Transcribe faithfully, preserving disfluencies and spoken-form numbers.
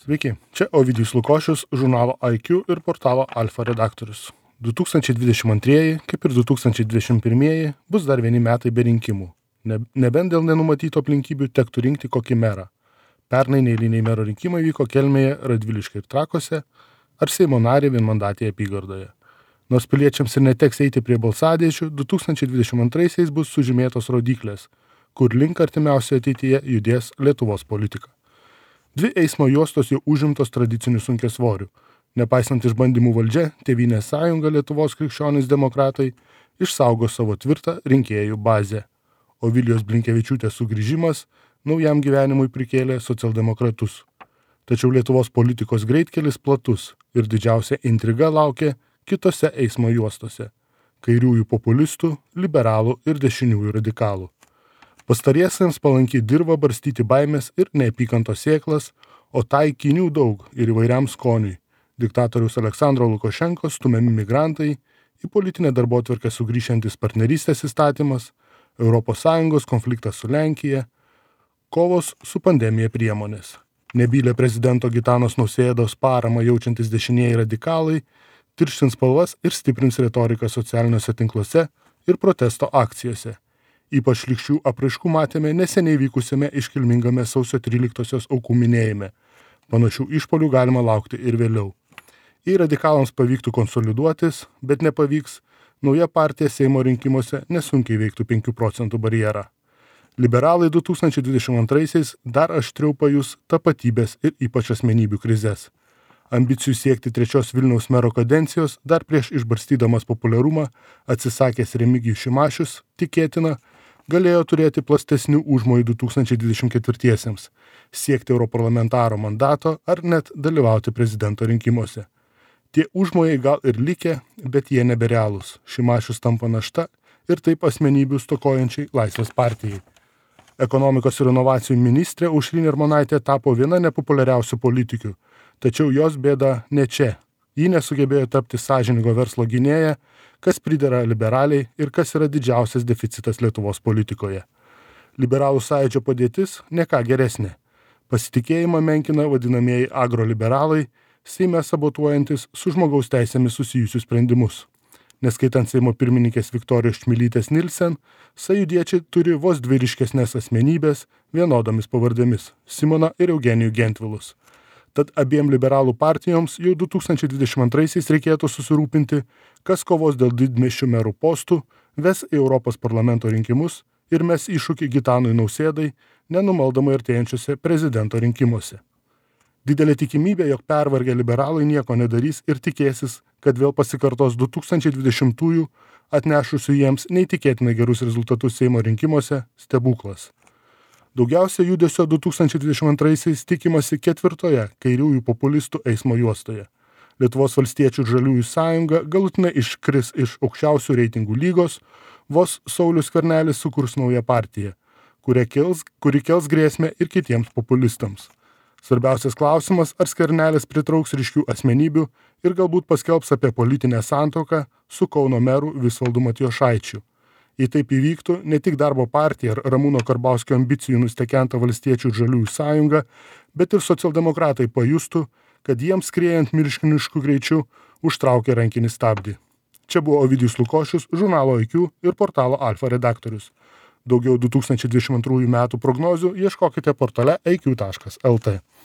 Sveiki, čia Ovidijus Lukošius, žurnalo I Q ir portalo Alfa redaktorius. du tūkstančiai dvidešimt antrieji, kaip ir du tūkstančiai dvidešimt pirmieji, bus dar vieni metai be rinkimų. Ne, nebent dėl nenumatytų aplinkybių tektų rinkti kokį merą. Pernai neeiliniai mero rinkimai vyko Kelmėje, Radviliškyje ir Trakuose, ar Seimo narį vienmandatėje apygardoje. Nors piliečiams ir neteks eiti prie balsadėžių, du tūkstančiai dvidešimt antraisiais bus sužymėtos rodyklės, kur link artimiausioje ateityje judės Lietuvos politika. Dvi eismo juostos jau užimtos tradicinių sunkiasvorių. Nepaisant išbandymų valdžia, Tėvynės sąjunga Lietuvos krikščionys demokratai išsaugo savo tvirtą rinkėjų bazę. Ovilijos Blinkevičiūtės sugrįžimas naujam gyvenimui prikėlė socialdemokratus. Tačiau Lietuvos politikos greitkelis platus ir didžiausia intriga laukia kitose eismo juostose – kairiųjų populistų, liberalų ir dešiniųjų radikalų. Pastariesiems palanki dirba barstyti baimės ir neapykantos sėklas, o taikinių daug ir įvairiam skoniui. Diktatoriaus Aleksandro Lukašenkos stumiami migrantai, į politinę darbotvarkę sugrįšiantis partnerystės įstatymas, Europos Sąjungos konfliktas su Lenkija, kovos su pandemija priemonės. Nebylę prezidento Gitanos Nausėdos paramą jaučiantis dešinieji radikalai tirštins spalvas ir stiprins retoriką socialiniuose tinkluose ir protesto akcijose. Ypač šlykščių apraiškų matėme neseniai vykusiame iškilmingame sausio tryliktosios aukų minėjime. Panašių išpuolių galima laukti ir vėliau. Jei radikalams pavyktų konsoliduotis, bet nepavyks, nauja partija Seimo rinkimuose nesunkiai veiktų penkių procentų barjerą. Liberalai du tūkstančiai dvidešimt antraisiais dar aštriau pajus tapatybės ir ypač asmenybių krizes. Ambicijų siekti trečios Vilniaus mero kadencijos dar prieš išbarstydamas populiarumą atsisakęs Remigijus Šimašius, tikėtina, galėjo turėti plastesnių užmojų du tūkstančiai dvidešimt ketvirtiesiems, siekti europarlamentaro mandato ar net dalyvauti prezidento rinkimuose. Tie užmojai gal ir likę, bet jie neberealūs. Šimašius tampa našta ir taip asmenybių stokojančiai Laisvės partijai. Ekonomikos ir inovacijų ministrė Aušrinė Armonaitė tapo viena nepopuliariausių politikių, tačiau jos bėda ne čia. Ji nesugebėjo tapti sąžiningo verslo gynėja, kas pridera liberaliai ir kas yra didžiausias deficitas Lietuvos politikoje. Liberalų sąjūdžio padėtis ne ką geresnė. Pasitikėjimą menkina vadinamieji agroliberalai, Seime sabotuojantis su žmogaus teisėmis susijusius sprendimus. Neskaitant Seimo pirmininkės Viktorijos Čmilytės Nilsen, sąjūdiečiai turi vos dvi ryškesnės asmenybės vienodomis pavardėmis – Simoną ir Eugenijų Gentvilus. Tad abiem liberalų partijoms jau du tūkstančiai dvidešimt antraisiais reikėtų susirūpinti, kas kovos dėl didmiesčių merų postų, ves į Europos parlamento rinkimus ir mes iššūkį Gitanui Nausėdai nenumaldomai artėjančiuose prezidento rinkimuose. Didelė tikimybė, jog pervargę liberalai nieko nedarys ir tikėsis, kad vėl pasikartos du tūkstančiai dvidešimtųjų atnešusių jiems neįtikėtinai gerus rezultatus Seimo rinkimuose stebuklas. Daugiausia judesio du tūkstančiai dvidešimt antraisiais tikimasi ketvirtoje kairiųjų populistų eismo juostoje. Lietuvos valstiečių ir žaliųjų sąjunga galutinai iškris iš aukščiausių reitingų lygos, vos Saulius Skvernelis sukurs naują partiją, kuri kels, kuri kels grėsmę ir kitiems populistams. Svarbiausias klausimas, ar Skvernelis pritrauks ryškių asmenybių ir galbūt paskelbs apie politinę santuoką su Kauno meru Visvaldu Matijošaičiu. Jei taip įvyktų, ne tik Darbo partija ar Ramūno Karbauskio ambicijų nustekenta valstiečių ir žaliųjų sąjunga, bet ir socialdemokratai pajustų, kad jiems skriejant milžinišku greičiu užtraukia rankinį stabdį. Čia buvo Ovidijus Lukošius, žurnalo I Q ir portalo Alfa redaktorius. Daugiau du tūkstančiai dvidešimt antrųjų metų prognozių ieškokite portale i q taškas l t.